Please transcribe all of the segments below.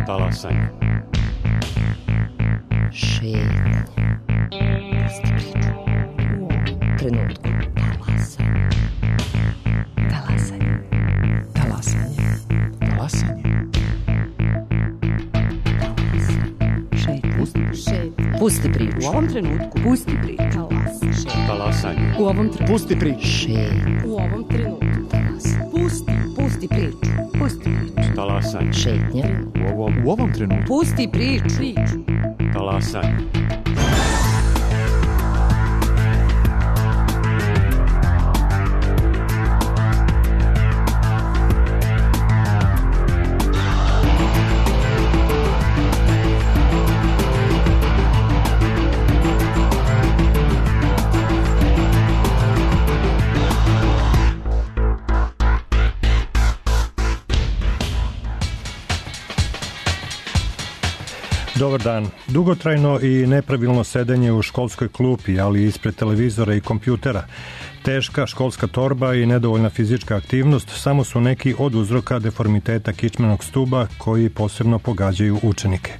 Talasanje. Šetnje. Pusti priču. U ovom trenutku. Talasanje. Talasanje. Talasanje. Pusti priču. U ovom trenutku. Pusti priču. Talasanje. U ovom trenutku. Pusti priču. U ovom trenutku. Pusti priču. Pusti priču. Talasanje. Šetnje. U ovom trenutku. Pusti priču. Talasanje. Dobar dan. Dugotrajno i nepravilno sedenje u školskoj klupi, ali ispred televizora i kompjutera, teška školska torba i nedovoljna fizička aktivnost samo su neki od uzroka deformiteta kičmenog stuba koji posebno pogađaju učenike.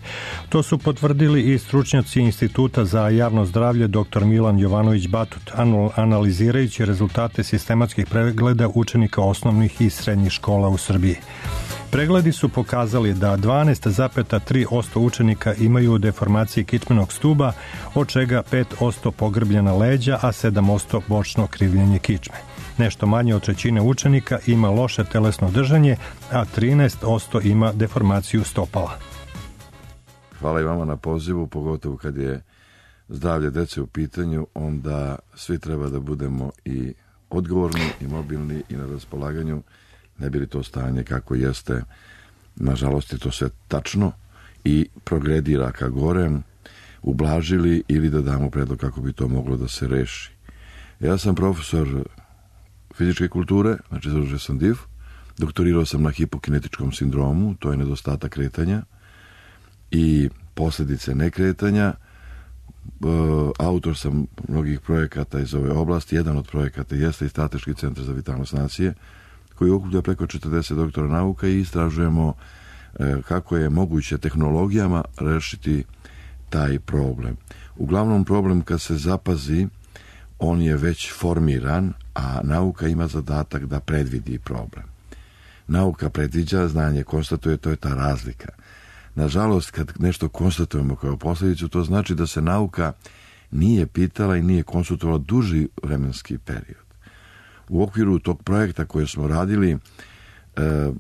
To su potvrdili i stručnjaci Instituta za javno zdravlje dr. Milan Jovanović Batut, analizirajući rezultate sistematskih pregleda učenika osnovnih i srednjih škola u Srbiji. Pregledi su pokazali da 12,3% učenika imaju deformacije kičmenog stuba, od čega 5% pogrbljena leđa, a 7% bočno krivljenje kičme. Nešto manje od trećine učenika ima loše telesno držanje, a 13% ima deformaciju stopala. Hvala i vama na pozivu, pogotovo kad je zdravlje dece u pitanju, onda svi treba da budemo i odgovorni i mobilni i na raspolaganju, ne bi li to stanje kako jeste, nažalost je to sve tačno i progredira ka gore, ublažili ili da damo predlog kako bi to moglo da se reši. Ja sam profesor fizičke kulture, znači završio sam DIF, doktorirao sam na hipokinetičkom sindromu, to je nedostatak kretanja i posljedice nekretanja. Autor sam mnogih projekata iz ove oblasti, jedan od projekata jeste i Strateški centar za vitalnost nacije, koji okuplja preko 40 doktora nauka i istražujemo kako je moguće tehnologijama rešiti taj problem. Uglavnom problem kad se zapazi, on je već formiran, a nauka ima zadatak da predvidi problem. Nauka predviđa, znanje konstatuje, to je ta razlika. Nažalost, kad nešto konstatujemo kao posljedicu, to znači da se nauka nije pitala i nije konsultovala duži vremenski period. U okviru tog projekta koje smo radili,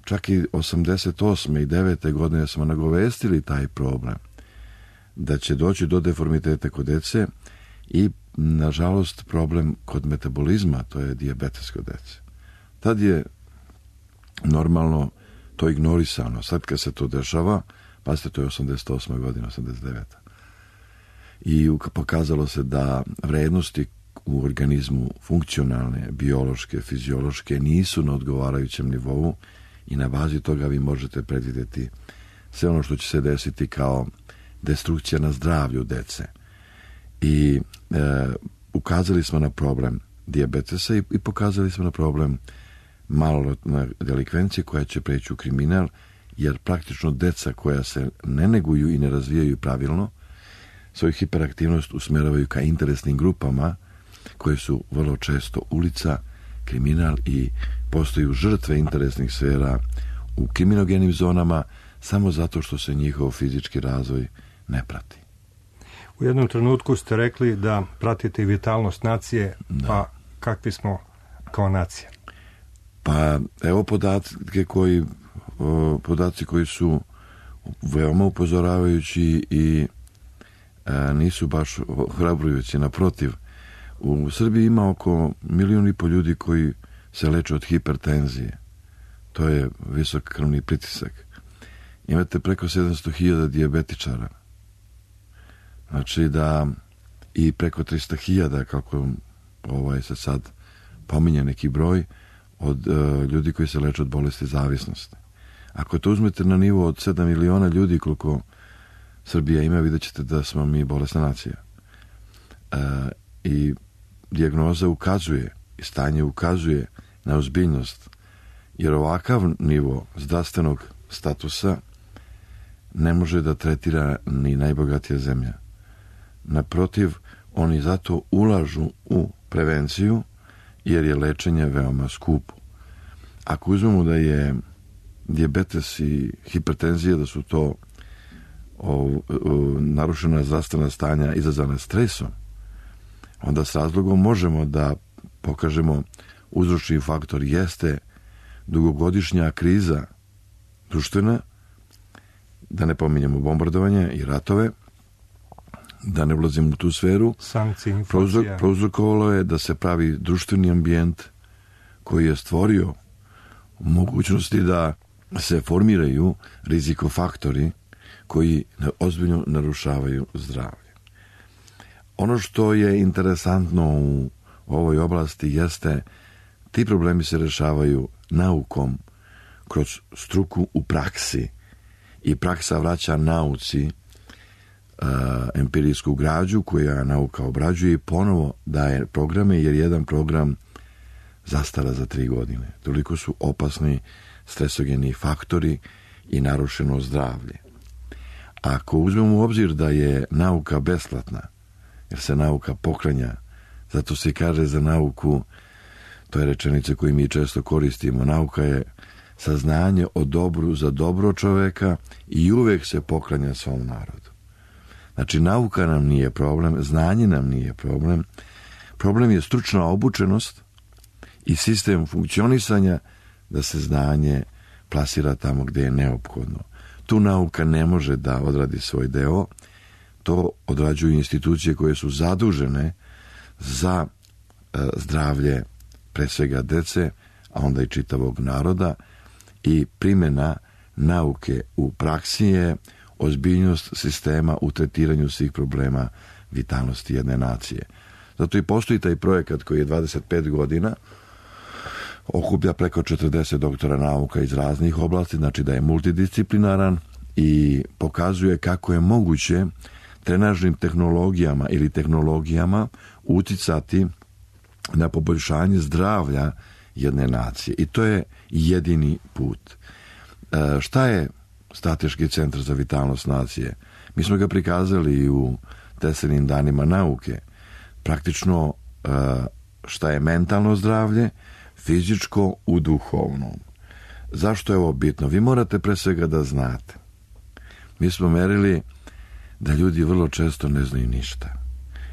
čak i 88. i 9. godine smo nagovestili taj problem, da će doći do deformitete kod dece i, nažalost, problem kod metabolizma, to je dijabetes kod dece. Tad je normalno to ignorisano. Sad kad se to dešava, pazite, to je 88. godina, 89. I pokazalo se da vrednosti u organizmu funkcionalne, biološke, fiziološke nisu na odgovarajućem nivou i na bazi toga vi možete predvidjeti sve ono što će se desiti kao destrukcija na zdravlju dece. I ukazali smo na problem dijabetesa i pokazali smo na problem maloljetne delikvencije koja će preći u kriminal, jer praktično deca koja se ne neguju i ne razvijaju pravilno, svoju hiperaktivnost usmeravaju ka interesnim grupama koje su vrlo često ulica, kriminal i postaju žrtve interesnih sfera u kriminogenim zonama samo zato što se njihov fizički razvoj ne prati. U jednom trenutku ste rekli da pratite vitalnost nacije, pa kakvi smo kao nacija? Pa evo podaci koji su veoma upozoravajući i nisu baš hrabrujući, naprotiv. U Srbiji ima oko 1,5 milijuna ljudi koji se leče od hipertenzije. To je visok krvni pritisak. Imate preko 700.000 dijabetičara. Znači da i preko 300.000, kako se sad pominje neki broj, od ljudi koji se leče od bolesti zavisnosti. Ako to uzmete na nivo od 7 miliona ljudi koliko Srbija ima, vidjet ćete da smo mi bolesna nacija. I dijagnoza ukazuje i stanje ukazuje na ozbiljnost, jer ovakav nivo zdravstvenog statusa ne može da tretira ni najbogatija zemlja. Naprotiv, oni zato ulažu u prevenciju, jer je lečenje veoma skupo. Ako uzmemo da je dijabetes i hipertenzija, da su to narušena zdravstvena stanja izazvana stresom, onda s razlogom možemo da pokažemo uzročni faktor jeste dugogodišnja kriza društvena, da ne pominjemo bombardovanje i ratove, da ne ulazimo u tu sferu. Sankcije, inflacija. Prouzrokovalo je da se pravi društveni ambijent koji je stvorio mogućnosti da se formiraju rizikofaktori koji ozbiljno narušavaju zdravlje. Ono što je interesantno u ovoj oblasti jeste ti problemi se rešavaju naukom kroz struku u praksi i praksa vraća nauci empirijsku građu koja nauka obrađuje i ponovo daje programe, jer jedan program zastara za 3 godine. Toliko su opasni stresogeni faktori i narušeno zdravlje. Ako uzmemo u obzir da je nauka besplatna, jer se nauka poklanja, zato se kaže za nauku, to je rečenica koju mi često koristimo, nauka je saznanje o dobru za dobro čoveka i uvek se poklanja svom narodu. Znači, nauka nam nije problem, znanje nam nije problem, problem je stručna obučenost i sistem funkcionisanja da se znanje plasira tamo gde je neophodno. Tu nauka ne može da odradi svoj deo, to odrađuju institucije koje su zadužene za zdravlje pre svega dece, a onda i čitavog naroda, i primjena nauke u praksi je ozbiljnost sistema u tretiranju svih problema vitalnosti jedne nacije. Zato i postoji taj projekat koji je 25 godina, okuplja preko 40 doktora nauka iz raznih oblasti, znači da je multidisciplinaran i pokazuje kako je moguće trenažnim tehnologijama ili tehnologijama uticati na poboljšanje zdravlja jedne nacije. I to je jedini put. Šta je Strateški centar za vitalnost nacije? Mi smo ga prikazali u Teslinim danima nauke. Praktično šta je mentalno zdravlje, fizičko u duhovnom. Zašto je ovo bitno? Vi morate pre svega da znate. Mi smo merili da ljudi vrlo često ne znaju ništa.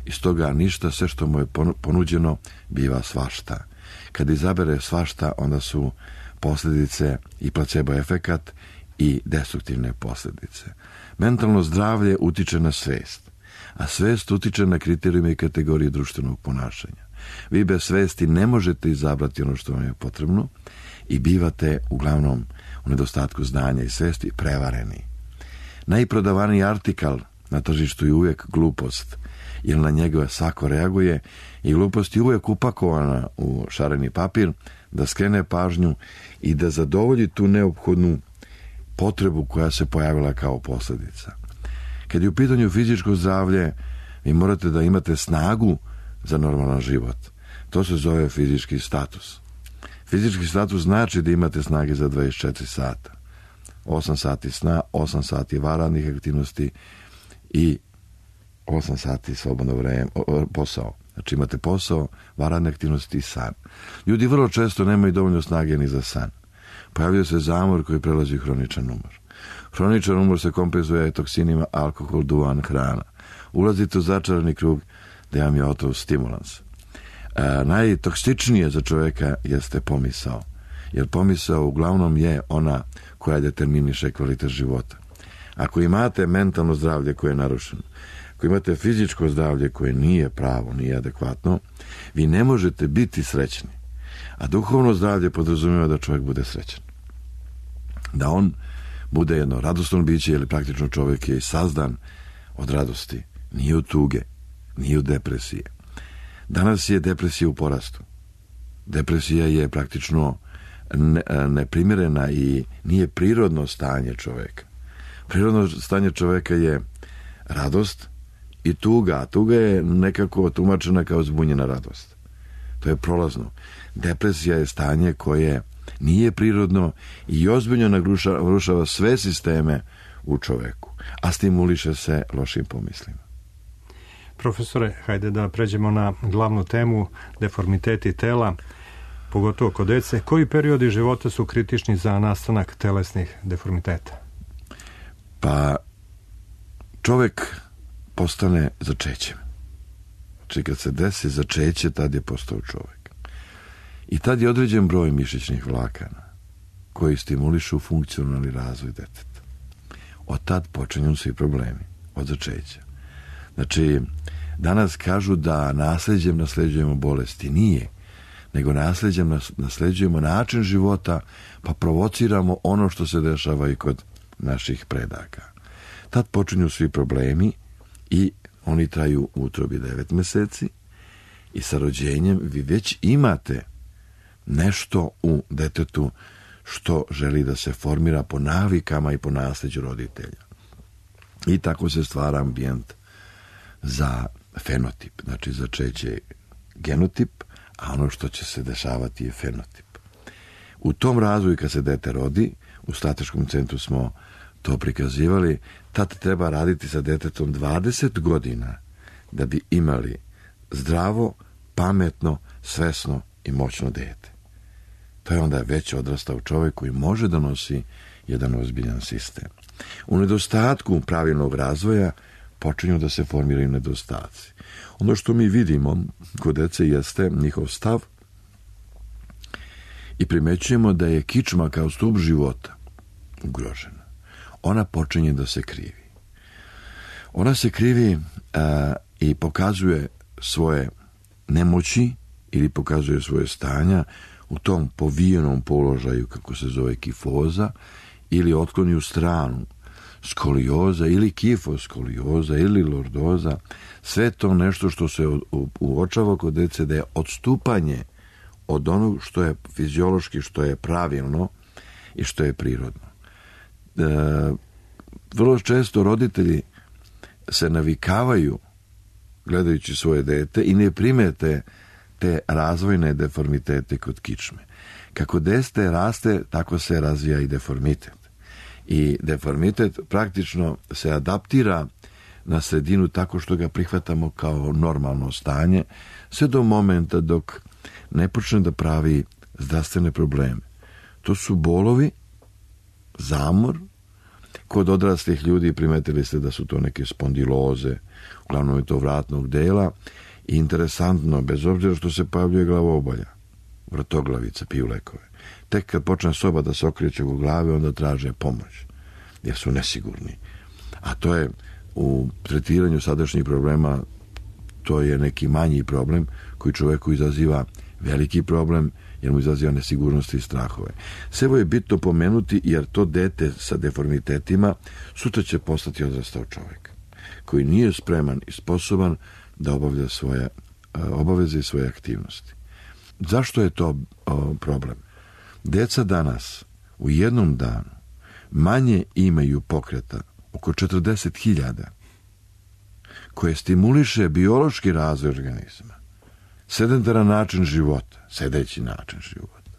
Iz toga ništa, sve što mu je ponuđeno, biva svašta. Kad izabere svašta, onda su posljedice i placebo efekat i destruktivne posljedice. Mentalno zdravlje utiče na svest, a svest utiče na kriterijume i kategorije društvenog ponašanja. Vi bez svesti ne možete izabrati ono što vam je potrebno i bivate uglavnom u nedostatku znanja i svesti prevareni. Najprodavaniji artikal na tržištu je uvijek glupost, jer na njega svako reaguje i glupost je uvijek upakovana u šareni papir da skrene pažnju i da zadovolji tu neophodnu potrebu koja se pojavila kao posljedica. Kad je u pitanju fizičko zdravlje, vi morate da imate snagu za normalan život. To se zove fizički status. Fizički status znači da imate snage za 24 sata. 8 sati sna, 8 sati varadnih aktivnosti i 8 sati slobodno vreme, posao. Znači imate posao, varadne aktivnosti i san. Ljudi vrlo često nemaju dovoljno snage ni za san. Pojavljuje se zamor koji prelazi u hroničan umor. Hroničan umor se kompenzuje toksinima, alkohol, duvan, hrana. Ulazite u začarani krug da vam je otov stimulans. Najtoksičnije za čovjeka jeste pomisao. Jer pomisao uglavnom je ona koja determiniše kvalitet života. Ako imate mentalno zdravlje koje je narušeno, ako imate fizičko zdravlje koje nije pravo, nije adekvatno, vi ne možete biti srećni. A duhovno zdravlje podrazumijeva da čovjek bude srećan. Da on bude jedno radosno biće, jer praktično čovjek je sazdan od radosti, nije od tuge, nije od depresije. Danas je depresija u porastu. Depresija je praktično neprimjerena i nije prirodno stanje čovjeka. Prirodno stanje čovjeka je radost i tuga. A tuga je nekako tumačena kao zbunjena radost. To je prolazno. Depresija je stanje koje nije prirodno i ozbiljno narušava sve sisteme u čoveku, a stimuliše se lošim pomislima. Profesore, hajde da pređemo na glavnu temu, deformiteti tela, pogotovo kod dece. Koji periodi života su kritični za nastanak telesnih deformiteta? Pa čovek postane začećem. Znači kad se desi začeće, tad je postao čovek. I tad je određen broj mišićnih vlakana koji stimulišu funkcionalni razvoj deteta. Od tad počinju svi problemi, od začeća. Znači, danas kažu da nasleđem nasleđujemo bolesti. Nije, nego nasleđem nasleđujemo način života, pa provociramo ono što se dešava i kod naših predaka. Tad počinju svi problemi i oni traju u utrobi 9 meseci i sa rođenjem vi već imate nešto u detetu što želi da se formira po navikama i po nasleđu roditelja. I tako se stvara ambijent za fenotip, znači začeće je genotip, a ono što će se dešavati je fenotip. U tom razvoju kad se dete rodi, u strateškom centru smo to prikazivali, tad treba raditi sa detetom 20 godina da bi imali zdravo, pametno, svesno i moćno dete. To je onda već odrastao čovjek koji može da nosi jedan ozbiljan sistem. U nedostatku pravilnog razvoja počinju da se formiraju nedostaci. Ono što mi vidimo kod dece jeste njihov stav i primećujemo da je kičma kao stup života ugrožena. Ona počinje da se krivi. Ona se krivi i pokazuje svoje nemoći ili pokazuje svoje stanja u tom povijenom položaju, kako se zove kifoza, ili otkloni u stranu, skolioza ili kifoskolioza ili lordoza. Sve to nešto što se uočava kod dece da je odstupanje od onog što je fiziološki, što je pravilno i što je prirodno. Vrlo često roditelji se navikavaju gledajući svoje dete i ne primete te razvojne deformitete kod kičme. Kako dete raste, tako se razvija i deformitet. I deformitet praktično se adaptira na sredinu tako što ga prihvatamo kao normalno stanje, sve do momenta dok ne počne da pravi zdravstvene probleme. To su bolovi, zamor. Kod odraslih ljudi primetili ste da su to neke spondiloze, uglavnom je to vratnog dela. I interesantno, bez obzira što se pojavljuje glavobolja, vrtoglavica, piju lekove. Tek kad počne soba da se okreće u glave, onda traže pomoć, jer su nesigurni. A to je u tretiranju sadašnjih problema, to je neki manji problem koji čoveku izaziva veliki problem, jer mu izaziva nesigurnost i strahove. Sve ovo je bitno pomenuti, jer to dete sa deformitetima sutra će postati odrastao čovjek, koji nije spreman i sposoban da obavlja svoje obaveze i svoje aktivnosti. Zašto je to problem? Deca danas u jednom danu manje imaju pokreta, oko 40.000, koje stimuliše biološki razvoj organizma, sedentaran način života, sedeći način života,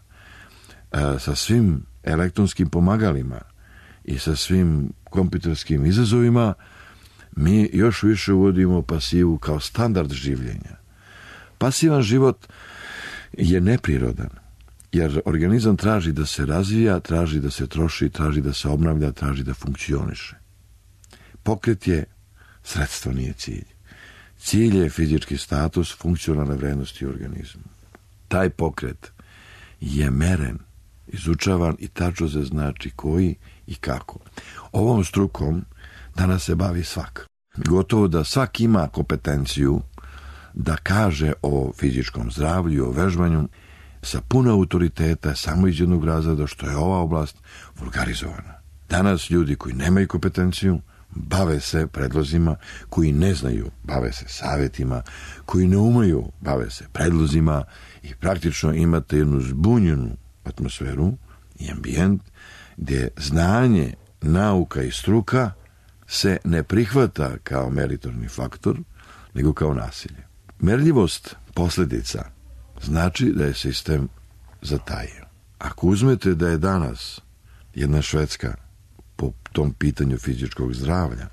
sa svim elektronskim pomagalima i sa svim kompjuterskim izazovima, mi još više uvodimo pasivu kao standard življenja. Pasivan život je neprirodan, jer organizam traži da se razvija, traži da se troši, traži da se obnavlja, traži da funkcioniše. Pokret je sredstvo, nije cilj. Cilj je fizički status, funkcionalne vrednosti u organizmu. Taj pokret je meren, izučavan i tačno se znači koji i kako. Ovom strukom danas se bavi svak. Gotovo da svak ima kompetenciju da kaže o fizičkom zdravlju, o vežbanju sa puno autoriteta, samo iz jednog razloga što je ova oblast vulgarizovana. Danas ljudi koji nemaju kompetenciju bave se predlozima, koji ne znaju bave se savjetima, koji ne umeju bave se predlozima i praktično imate jednu zbunjenu atmosferu i ambijent gdje znanje, nauka i struka se ne prihvata kao meritorni faktor, nego kao nasilje. Merljivost posljedica znači da je sistem zatajio. Ako uzmete da je danas jedna Švedska po tom pitanju fizičkog zdravlja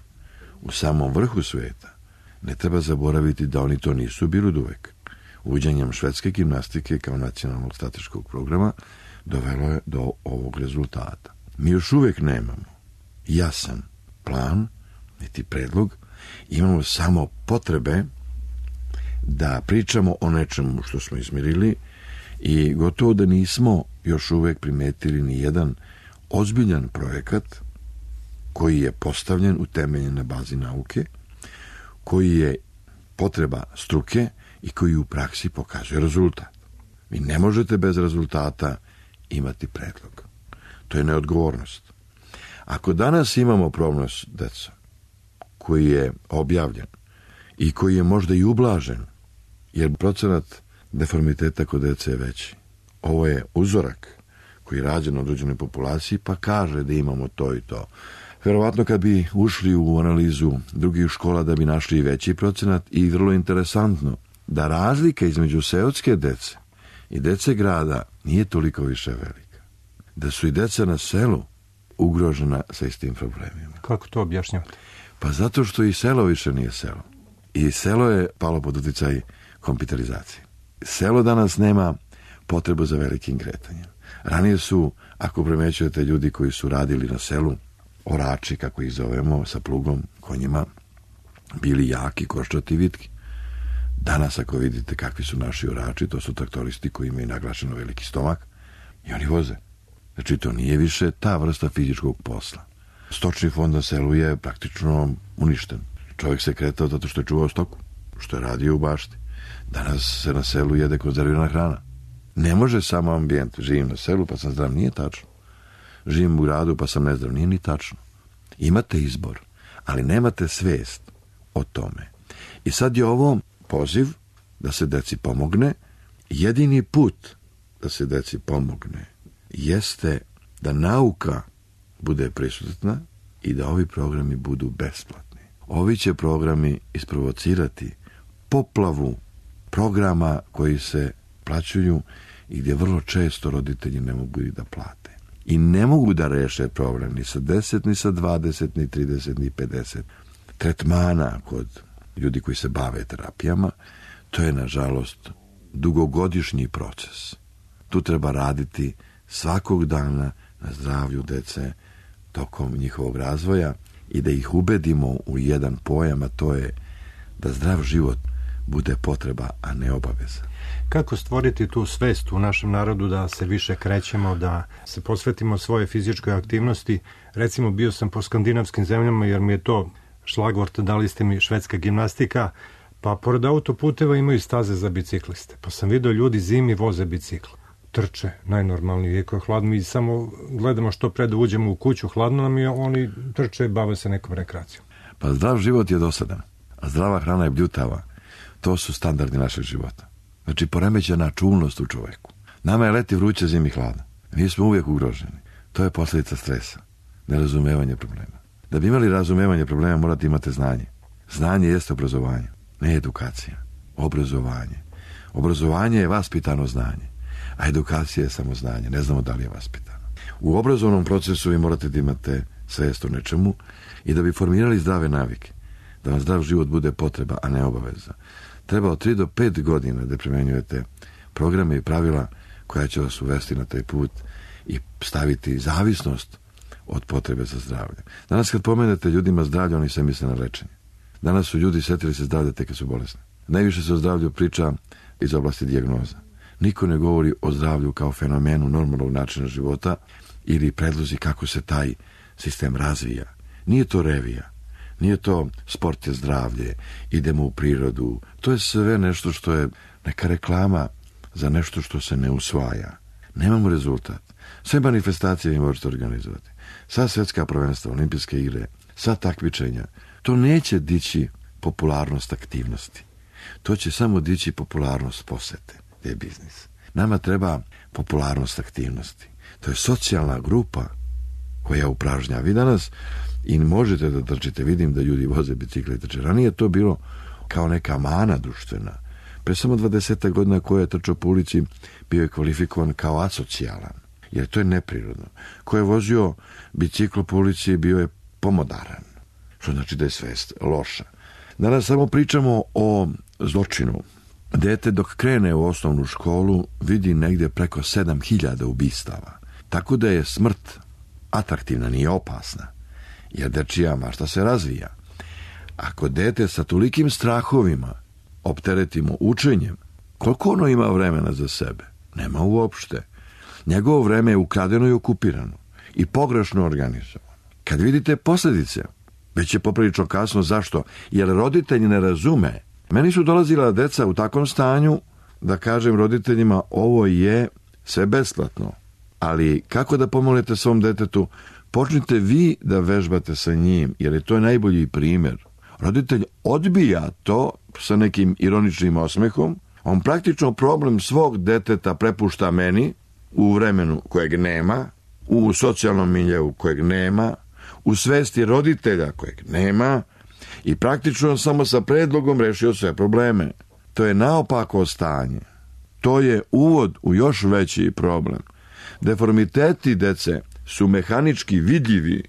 u samom vrhu sveta, ne treba zaboraviti da oni to nisu bili oduvek. Uvođenjem švedske gimnastike kao nacionalnog strateškog programa dovelo je do ovog rezultata. Mi još uvek nemamo jasan plan, niti predlog, imamo samo potrebe da pričamo o nečemu što smo izmirili i gotovo da nismo još uvek primetili ni jedan ozbiljan projekat koji je postavljen, utemeljen na bazi nauke, koji je potreba struke i koji u praksi pokazuje rezultat. Vi ne možete bez rezultata imati predlog. To je neodgovornost. Ako danas imamo problem s decom koji je objavljen i koji je možda i ublažen, jer procenat deformiteta kod dece je veći. Ovo je uzorak koji je rađen na određenoj populaciji pa kaže da imamo to i to. Verovatno kad bi ušli u analizu drugih škola da bi našli veći procenat i vrlo interesantno da razlika između seoske dece i dece grada nije toliko više velika. Da su i deca na selu ugrožena sa istim problemima. Kako to objašnjavate? Pa zato što i selo više nije selo. I selo je palo pod uticaj kompjuterizacije. Selo danas nema potrebu za velikim kretanjem. Ranije su, ako primećujete ljudi koji su radili na selu, orači, kako ih zovemo, sa plugom, konjima, bili jaki, koščati, vitki. Danas, ako vidite kakvi su naši orači, to su traktoristi koji imaju naglašeno veliki stomak i oni voze. Znači, to nije više ta vrsta fizičkog posla. Stočni fond na selu je praktično uništen. Čovjek se kretao zato što je čuvao stoku, što je radio u bašti. Danas se na selu jede konzervirana hrana. Ne može samo ambijent. Živim na selu pa sam zdrav, nije tačno. Živim u gradu pa sam nezdrav, nije ni tačno. Imate izbor, ali nemate svest o tome. I sad je ovo poziv da se deci pomogne. Jedini put da se deci pomogne jeste da nauka bude prisutna i da ovi programi budu besplatni. Ovi će programi isprovocirati poplavu programa koji se plaćuju i gdje vrlo često roditelji ne mogu i da plate. I ne mogu da reše problem ni sa 10, ni sa 20, ni 30, ni 50 tretmana kod ljudi koji se bave terapijama. To je, nažalost, dugogodišnji proces. Tu treba raditi svakog dana na zdravlju dece tokom njihovog razvoja i da ih ubedimo u jedan pojam, a to je da zdrav život bude potreba, a ne obaveza. Kako stvoriti tu svest u našem narodu da se više krećemo, da se posvetimo svoje fizičkoj aktivnosti? Recimo, bio sam po skandinavskim zemljama jer mi je to šlagvort, dali ste mi švedska gimnastika, pa pored autoputeva imaju staze za bicikliste. Pa sam vidio ljudi zimi voze bicikl. Trče, najnormalnije, iako je hladno, mi samo gledamo što pre da uđemo u kuću, hladno nam je, oni trče, bave se nekom rekreacijom. Pa zdrav život je dosadan, a zdrava hrana je bljutava. To su standardi našeg života. Znači, poremećena čulnost u čoveku. Nama je leti vruće, zimi hladno. Mi smo uvijek ugroženi. To je posljedica stresa, nerazumevanje problema. Da bi imali razumevanje problema, morate imati znanje. Znanje jeste obrazovanje, ne edukacija. Obrazovanje. Obrazovanje je vaspitano znanje, a edukacija je samo znanje. Ne znamo da li je vaspitano. U obrazovnom procesu vi morate da imate svest o nečemu i da bi formirali zdrave navike, da vam zdrav život bude potreba, a ne obaveza. Treba od 3 do 5 godina da primenjujete programe i pravila koja će vas uvesti na taj put i staviti zavisnost od potrebe za zdravlje. Danas kad pomenete ljudima zdravlje, oni se misle na lečenje. Danas su ljudi setili se zdravlja tek kad su bolesni. Najviše se o zdravlju priča iz oblasti dijagnoza. Niko ne govori o zdravlju kao fenomenu normalnog načina života ili predlozi kako se taj sistem razvija. Nije to revija. Nije to sport je zdravlje, idemo u prirodu. To je sve nešto što je neka reklama za nešto što se ne usvaja. Nemamo rezultat. Sve manifestacije vi možete organizovati. Sva svjetska prvenstva, olimpijske igre, sva takmičenja. To neće dići popularnost aktivnosti. To će samo dići popularnost posete. To je biznis. Nama treba popularnost aktivnosti. To je socijalna grupa koja upražnja. Vi danas i možete da trčite, vidim da ljudi voze bicikle i trče. Ranije to bilo kao neka mana društvena. Pre samo 20 godina ko je trčao po ulici bio je kvalifikovan kao asocijalan. jer to je neprirodno. Ko je vozio biciklo po ulici bio je pomodaran, što znači da je svest loša. Danas samo pričamo o zločinu. Dete dok krene u osnovnu školu vidi negdje preko 7000 ubistava. Tako da je smrt atraktivna, nije opasna, jer dečija mašta se razvija. Ako dete sa tolikim strahovima opteretimo učenjem, koliko ono ima vremena za sebe? Nema uopšte. Njegovo vreme je ukradeno i okupirano i pogrešno organizovano. Kad vidite posljedice, već je poprilično kasno. Zašto? Jer roditelji ne razume. Meni su dolazila deca u takvom stanju da kažem roditeljima ovo je sve besplatno. Ali kako da pomognete svom detetu? Počnite vi da vežbate sa njim, jer je to najbolji primjer. Roditelj odbija to sa nekim ironičnim osmehom. On praktično problem svog deteta prepušta meni u vremenu kojeg nema, u socijalnom miljeu kojeg nema, u svesti roditelja kojeg nema i praktično samo sa predlogom rešio sve probleme. To je naopako stanje. To je uvod u još veći problem. Deformiteti dece su mehanički vidljivi.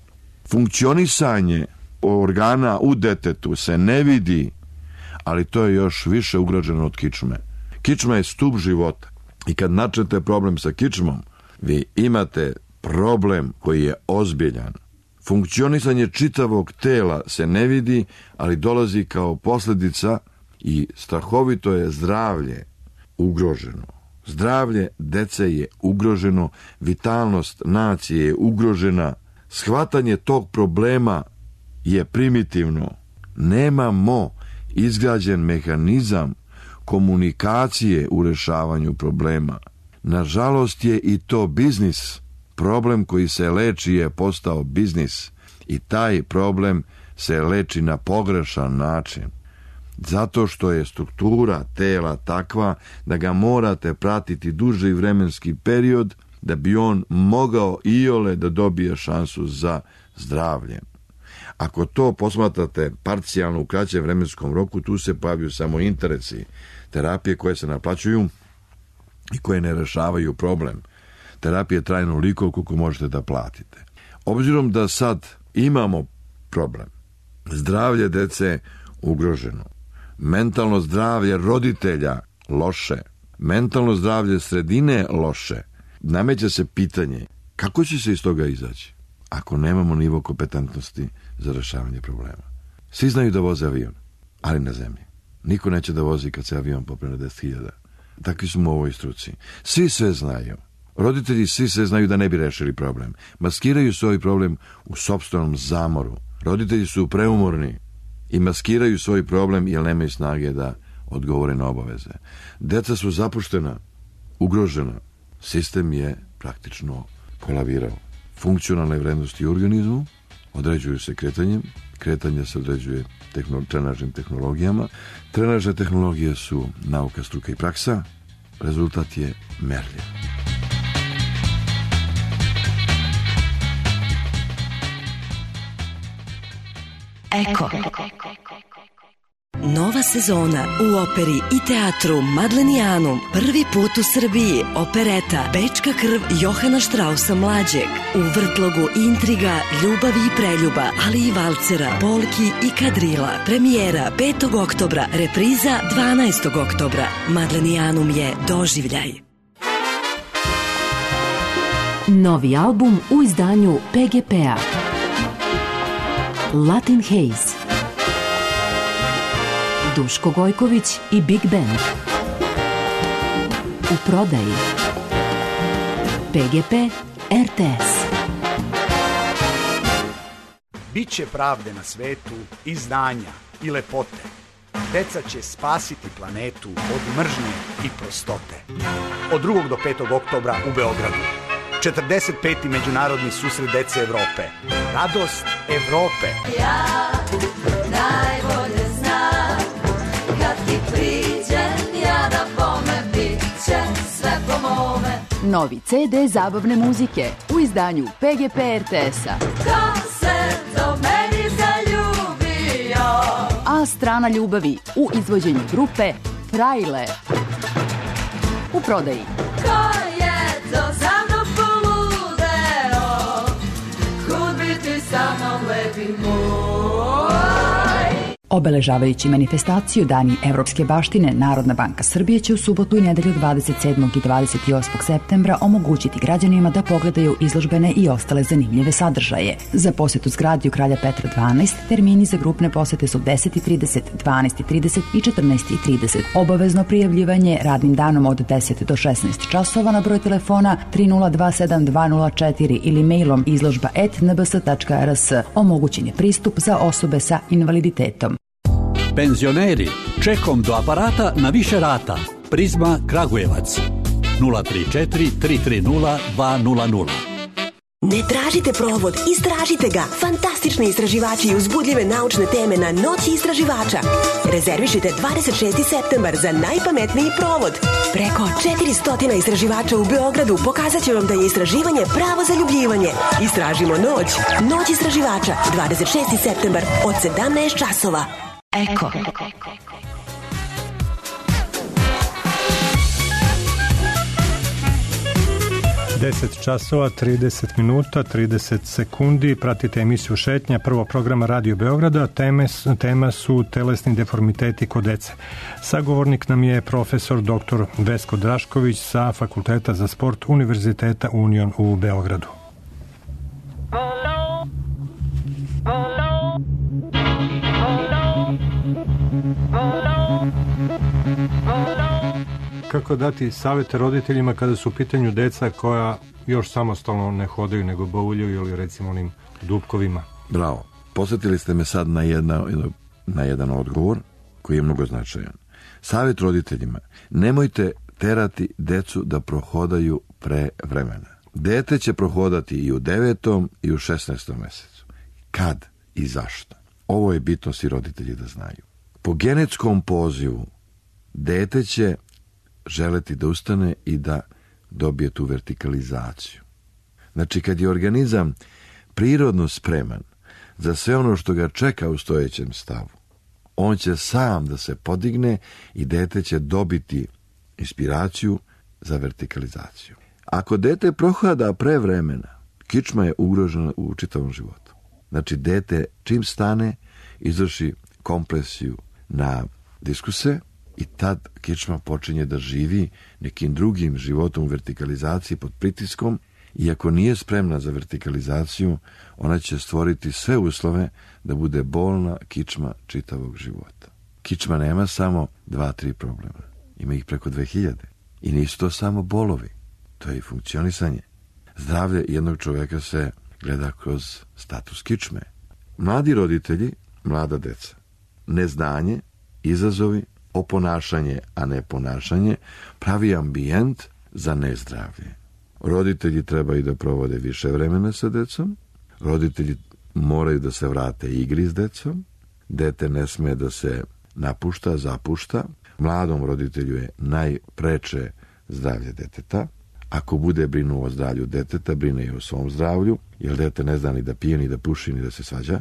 Funkcionisanje organa u detetu se ne vidi, ali to je još više ugrađeno od kičme. Kičma je stup života i kad načnete problem sa kičmom, vi imate problem koji je ozbiljan. Funkcionisanje čitavog tela se ne vidi, ali dolazi kao posljedica i strahovito je zdravlje ugroženo. Zdravlje dece je ugroženo, vitalnost nacije je ugrožena, shvatanje tog problema je primitivno. Nemamo izgrađen mehanizam komunikacije u rešavanju problema. Nažalost je i to biznis. Problem koji se leči je postao biznis i taj problem se leči na pogrešan način. Zato što je struktura tela takva da ga morate pratiti duži vremenski period da bi on mogao iole da dobije šansu za zdravlje. Ako to posmatrate parcijalno u kraćem vremenskom roku, tu se pojavljuju samo interesi, terapije koje se naplaćuju i koje ne rešavaju problem. Terapija je trajno onoliko koliko možete da platite. Obzirom da sad imamo problem, zdravlje dece ugroženo, mentalno zdravlje roditelja loše, mentalno zdravlje sredine loše, nameće se pitanje kako će se iz toga izaći ako nemamo nivo kompetentnosti za rešavanje problema. Svi znaju da voze avion, ali na zemlji. Niko neće da vozi kad se avion popne na 10.000. Takvi smo u ovoj struci. Svi sve znaju. Roditelji svi sve znaju da ne bi rešili problem. Maskiraju svoj problem u sopstvenom zamoru. Roditelji su preumorni i maskiraju svoj problem jer nemaju snage da odgovore na obaveze. Deca su zapuštena, ugrožena. Sistem je praktično kolavirao. Funkcionalne vrednosti u organizmu određuju se kretanjem. Kretanje se određuje trenažnim tehnologijama. Trenažne tehnologije su nauka, struka i praksa. Rezultat je merljiv. Eko. Nova sezona u operi i teatru Madlenijanum. Prvi put u Srbiji opereta Bečka krv Johana Štrausa mlađeg. U vrtlogu intriga, ljubavi i preljuba, ali i valcera, polki i kadrila. Premijera 5. oktobra, repriza 12. oktobra. Madlenijanum je doživljaj. Novi album u izdanju PGP-a. Latin Haze. Duško Gojković i Big Band. U prodaji. PGP RTS. Biće pravde na svetu i znanja i lepote. Deca će spasiti planetu od mržnje i prostote. Od 2. do 5. oktobra u Beogradu. 45. međunarodni susret dece Evrope. Radost Evrope. Ja najbolje znam kad ti priđem, ja da bome bit će sve po mome. Novi CD zabavne muzike u izdanju PGP RTS-a. Ko se do meni zaljubio? A strana ljubavi u izvođenju grupe Frajle. U prodaji. Ko je to za mnom poludio? Obeležavajući manifestaciju Dani Evropske baštine, Narodna banka Srbije će u subotu i nedelju 27. i 28. septembra omogućiti građanima da pogledaju izložbene i ostale zanimljive sadržaje. Za posetu zgradi u Kralja Petra 12 termini za grupne posete su 10:30, 12:30 i 14:30. Obavezno prijavljivanje radnim danom od 10 do 16 časova na broj telefona 3027-204 ili mailom izložba@nbs.rs. Omogućen je pristup za osobe sa invaliditetom. Penzioneri, čekom do aparata na više rata. Prizma Kragujevac 034 330 200. Ne tražite provod, istražite ga. Fantastični istraživači i uzbudljive naučne teme na Noći istraživača. Rezervišite 26. septembar za najpametniji provod. Preko 400 istraživača u Beogradu pokazat će vam da je istraživanje pravo zaljubljivanje. Istražimo noć. Noć istraživača, 26. septembar od 17 časova. Eko. 10 časova, 30 minuta, 30 sekundi. Pratite emisiju Šetnja, prvog programa Radio Beograda. Tema su telesni deformiteti kod dece. Sagovornik nam je profesor dr. Vesko Drašković sa Fakulteta za sport Univerziteta Union u Beogradu. Kako dati savjete roditeljima kada su u pitanju deca koja još samostalno ne hodaju nego bauljaju ili recimo onim dupkovima? Bravo. Posjetili ste me sad na jedan odgovor koji je mnogo značajan. Savjet roditeljima. Nemojte terati decu da prohodaju pre vremena. Dete će prohodati i u 9. i u 16. mesecu. Kad i zašto? Ovo je bitno svi roditelji da znaju. Po genetskom pozivu dete će želeti da ustane i da dobije tu vertikalizaciju. Znači, kad je organizam prirodno spreman za sve ono što ga čeka u stojećem stavu, on će sam da se podigne i dete će dobiti inspiraciju za vertikalizaciju. Ako dete prohada pre vremena, kičma je ugrožena u čitavom životu. Znači, dete čim stane, izvrši kompresiju na diskuse i tad kičma počinje da živi nekim drugim životom u vertikalizaciji pod pritiskom i ako nije spremna za vertikalizaciju, ona će stvoriti sve uslove da bude bolna kičma čitavog života. Kičma nema samo 2-3 problema. Ima ih preko 2000. I nisu to samo bolovi. To je i funkcionisanje. Zdravlje jednog čoveka se gleda kroz status kičme. Mladi roditelji, mlada deca, neznanje, izazovi, oponašanje, a ne ponašanje, pravi ambijent za nezdravlje. Roditelji trebaju da provode više vremena sa decom, roditelji moraju da se vrate igri s decom, dete ne sme da se napušta, zapušta, mladom roditelju je najpreče zdravlje deteta. Ako bude brinuo o zdravlju deteta, brine i o svom zdravlju, jer dete ne zna ni da pije, ni da puši, ni da se svađa,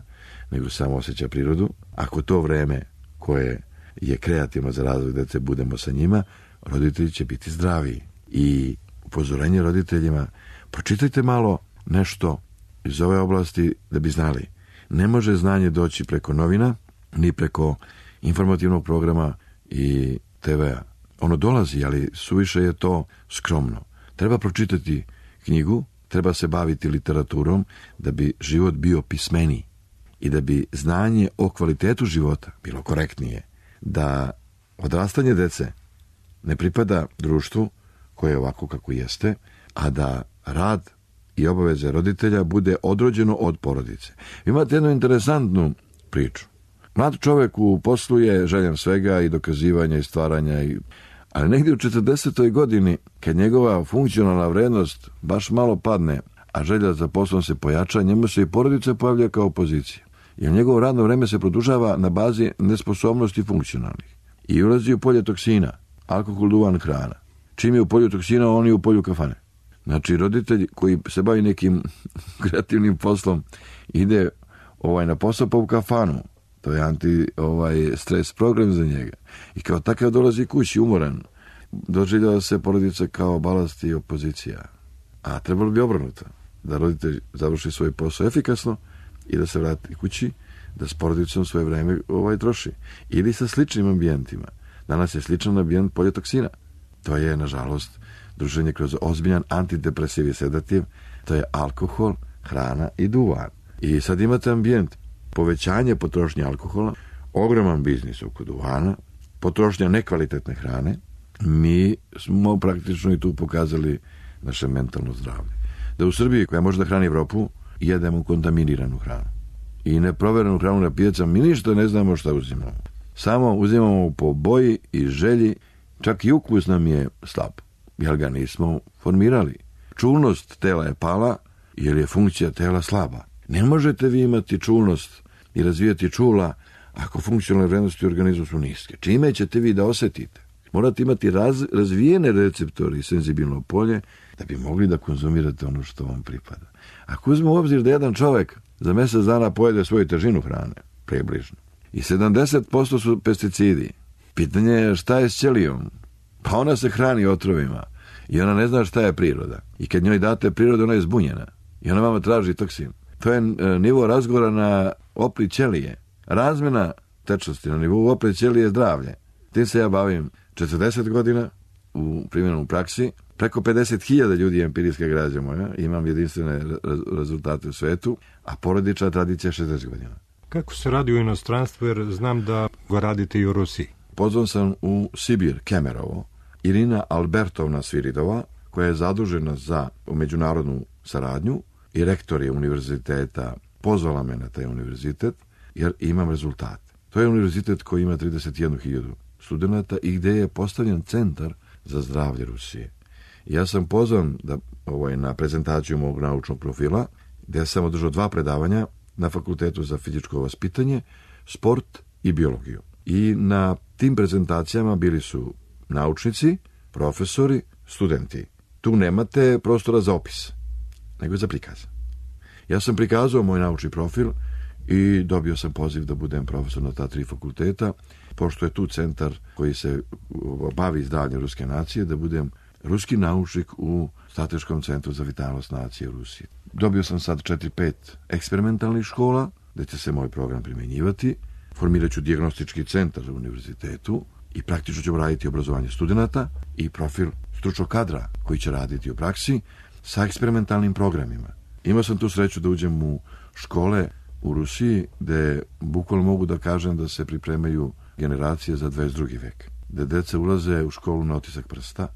nego samo osjeća prirodu. Ako to vreme koje je kreativno za razvoj dece budemo sa njima, roditelji će biti zdraviji. I upozorenje roditeljima, pročitajte malo nešto iz ove oblasti da bi znali. Ne može znanje doći preko novina, ni preko informativnog programa i TV-a. Ono dolazi, ali suviše je to skromno. Treba pročitati knjigu, treba se baviti literaturom da bi život bio pismeniji i da bi znanje o kvalitetu života bilo korektnije. Da odrastanje dece ne pripada društvu koje je ovako kako jeste, a da rad i obaveze roditelja bude odrođeno od porodice. Imate jednu interesantnu priču. Mlad čovjek u poslu je željan svega i dokazivanja i stvaranja, ali negdje u 40. godini, kad njegova funkcionalna vrednost baš malo padne, a želja za poslom se pojača, njemu se i porodica pojavlja kao opozicija. Jer njegovo radno vreme se produžava na bazi nesposobnosti funkcionalnih. I ulazi u polje toksina, alkohol, duvan, hrana. Čim je u polju toksina, on je u polju kafane. Znači, roditelj koji se bavi nekim kreativnim poslom ide na posao pa u kafanu. To je stres program za njega. I kao takav dolazi kući umoran. Doživljava se porodica kao balast i opozicija. A trebalo bi obrnuto. Da roditelj završi svoj posao efikasno i da se vrati kući, da s porodicom svoje vreme troši. Ili sa sličnim ambijentima. Danas je sličan ambijent polje toksina. To je, nažalost, druženje kroz ozbiljan antidepresiv i sedativ, to je alkohol, hrana i duvan. I sad imate ambijent, povećanje potrošnje alkohola, ogroman biznis oko duvana, potrošnja nekvalitetne hrane. Mi smo praktično i tu pokazali naše mentalno zdravlje. Da u Srbiji, koja može da hrani Evropu, jedemo kontaminiranu hranu. I neproverenu hranu na pijacama, mi ništa ne znamo šta uzimamo. Samo uzimamo po boji i želji, čak i ukus nam je slab, jer ga nismo formirali. Čulnost tela je pala, jer je funkcija tela slaba. Ne možete vi imati čulnost i razvijati čula ako funkcionalne vrednosti u organizmu su niske. Čime ćete vi da osetite? Morate imati razvijene receptori i senzibilno polje da bi mogli da konzumirate ono što vam pripada. Ako uzmemo u obzir da jedan čovek za mjesec dana pojede svoju težinu hrane, približno, i 70% su pesticidi, pitanje je šta je s ćelijom? Pa ona se hrani otrovima i ona ne zna šta je priroda. I kad njoj date prirodu, ona je zbunjena i ona vama traži toksin. To je nivo razgovora na opli ćelije. Razmjena tečnosti na nivou opli ćelije je zdravlje. Tim se ja bavim 40 godina u primjenom praksi. Preko 50.000 ljudi je empirijska građa moja. Imam jedinstvene rezultate u svetu, a porodična tradicija 60 godina. Kako se radi u inostranstvu, jer znam da ga radite i u Rusiji? Pozvan sam u Sibir, Kemerovo. Irina Albertovna Sviridova, koja je zadužena za međunarodnu saradnju i rektor je univerziteta, pozvala me na taj univerzitet, jer imam rezultate. To je univerzitet koji ima 31.000 studenata i gdje je postavljen centar za zdravlje Rusije. Ja sam pozvan na prezentaciju mog naučnog profila, gdje sam održao 2 predavanja na Fakultetu za fizičko vaspitanje, sport i biologiju. I na tim prezentacijama bili su naučnici, profesori, studenti. Tu nemate prostora za opis, nego za prikaz. Ja sam prikazao moj naučni profil i dobio sam poziv da budem profesor na ta 3 fakulteta, pošto je tu centar koji se bavi zdravljem ruske nacije, da budem ruski naučnik u Strateškom centru za vitalnost nacije u Rusiji. Dobio sam sad 4-5 eksperimentalnih škola, gdje će se moj program primjenjivati. Formirat ću dijagnostički centar u univerzitetu i praktično ćemo raditi obrazovanje studenata i profil stručnog kadra koji će raditi u praksi sa eksperimentalnim programima. Imao sam tu sreću da uđem u škole u Rusiji, gdje bukvalno mogu da kažem da se pripremaju generacije za 22. vek. Gdje deca ulaze u školu na otisak prsta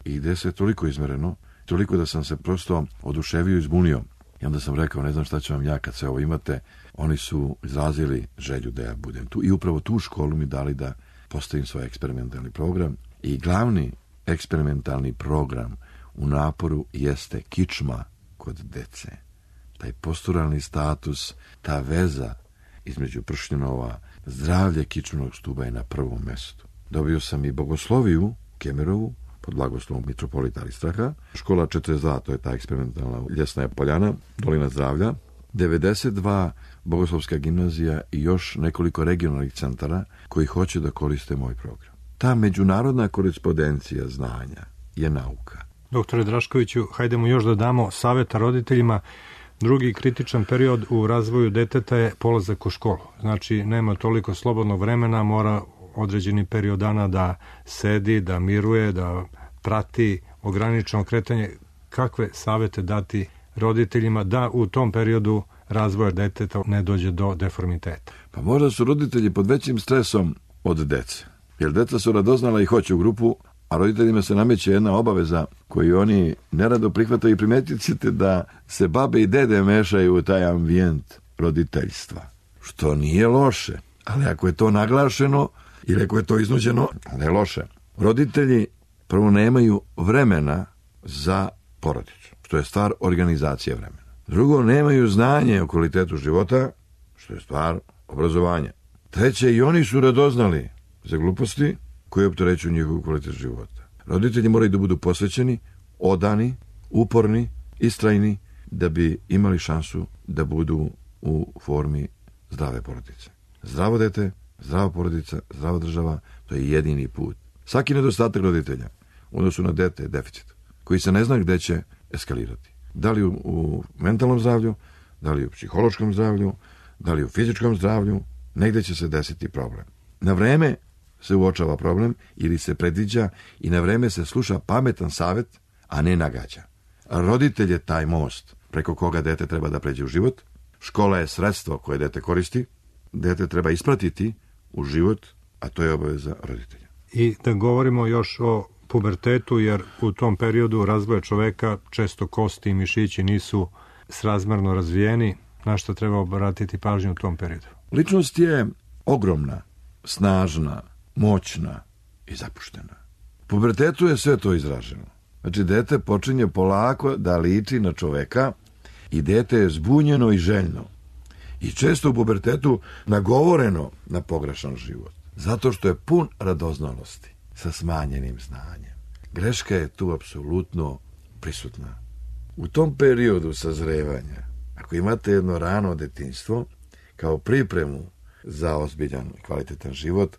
i gdje se toliko izmereno, toliko da sam se prosto oduševio i zbunio. I onda sam rekao, ne znam šta ću vam ja kad sve ovo imate. Oni su izrazili želju da ja budem tu i upravo tu školu mi dali da postavim svoj eksperimentalni program. I glavni eksperimentalni program u naporu jeste kičma kod dece. Taj posturalni status, ta veza između pršnjenova, zdravlje kičmenog stuba je na prvom mjestu. Dobio sam i bogosloviju Kemerovu pod blagoslovom mitropolita Aristraha. Škola 42, to je ta eksperimentalna ljesna poljana, dolina zdravlja. 92 bogoslovska gimnazija i još nekoliko regionalnih centara koji hoće da koriste moj program. Ta međunarodna korespondencija znanja je nauka. Doktore Draškoviću, hajdemo još da damo savjeta roditeljima. Drugi kritičan period u razvoju deteta je polazak u školu. Znači, nema toliko slobodnog vremena, mora određeni period dana da sedi, da miruje, da prati ograničeno kretanje. Kakve savjete dati roditeljima da u tom periodu razvoja deteta ne dođe do deformiteta? Pa možda su roditelji pod većim stresom od dece. Jer deca su radoznala i hoće u grupu, a roditeljima se nameće jedna obaveza koju oni nerado prihvataju i primetit ćete da se babe i dede mešaju u taj ambijent roditeljstva. Što nije loše, ali ako je to naglašeno ili ako je to iznuđeno, ne je loše. Roditelji prvo nemaju vremena za porodicu, što je stvar organizacije vremena. Drugo, nemaju znanje o kvalitetu života, što je stvar obrazovanja. Treće, i oni su radoznali za gluposti koje opterećuju njihovu kvalitetu života. Roditelji moraju da budu posvećeni, odani, uporni, istrajni, da bi imali šansu da budu u formi zdrave porodice. Zdravo dete, zdrava porodica, zdrava država, to je jedini put. Svaki nedostatak roditelja u odnosu na dete je deficit, koji se ne zna gde će eskalirati. Da li u mentalnom zdravlju, da li u psihološkom zdravlju, da li u fizičkom zdravlju, negde će se desiti problem. Na vreme se uočava problem ili se predviđa i na vreme se sluša pametan savjet, a ne nagađa. Roditelj je taj most preko koga dete treba da pređe u život. Škola je sredstvo koje dete koristi. Dete treba ispratiti u život, a to je obaveza roditelja. I da govorimo još o pubertetu, jer u tom periodu razvoja čoveka često kosti i mišići nisu srazmerno razvijeni. Na što treba obratiti pažnju u tom periodu? Ličnost je ogromna, snažna, moćna i zapuštena. U pubertetu je sve to izraženo. Znači, dete počinje polako da liči na čoveka i dete je zbunjeno i željno. I često u pubertetu nagovoreno na pogrešan život. Zato što je pun radoznalosti sa smanjenim znanjem. Greška je tu apsolutno prisutna. U tom periodu sazrevanja, ako imate jedno rano detinjstvo, kao pripremu za ozbiljan i kvalitetan život,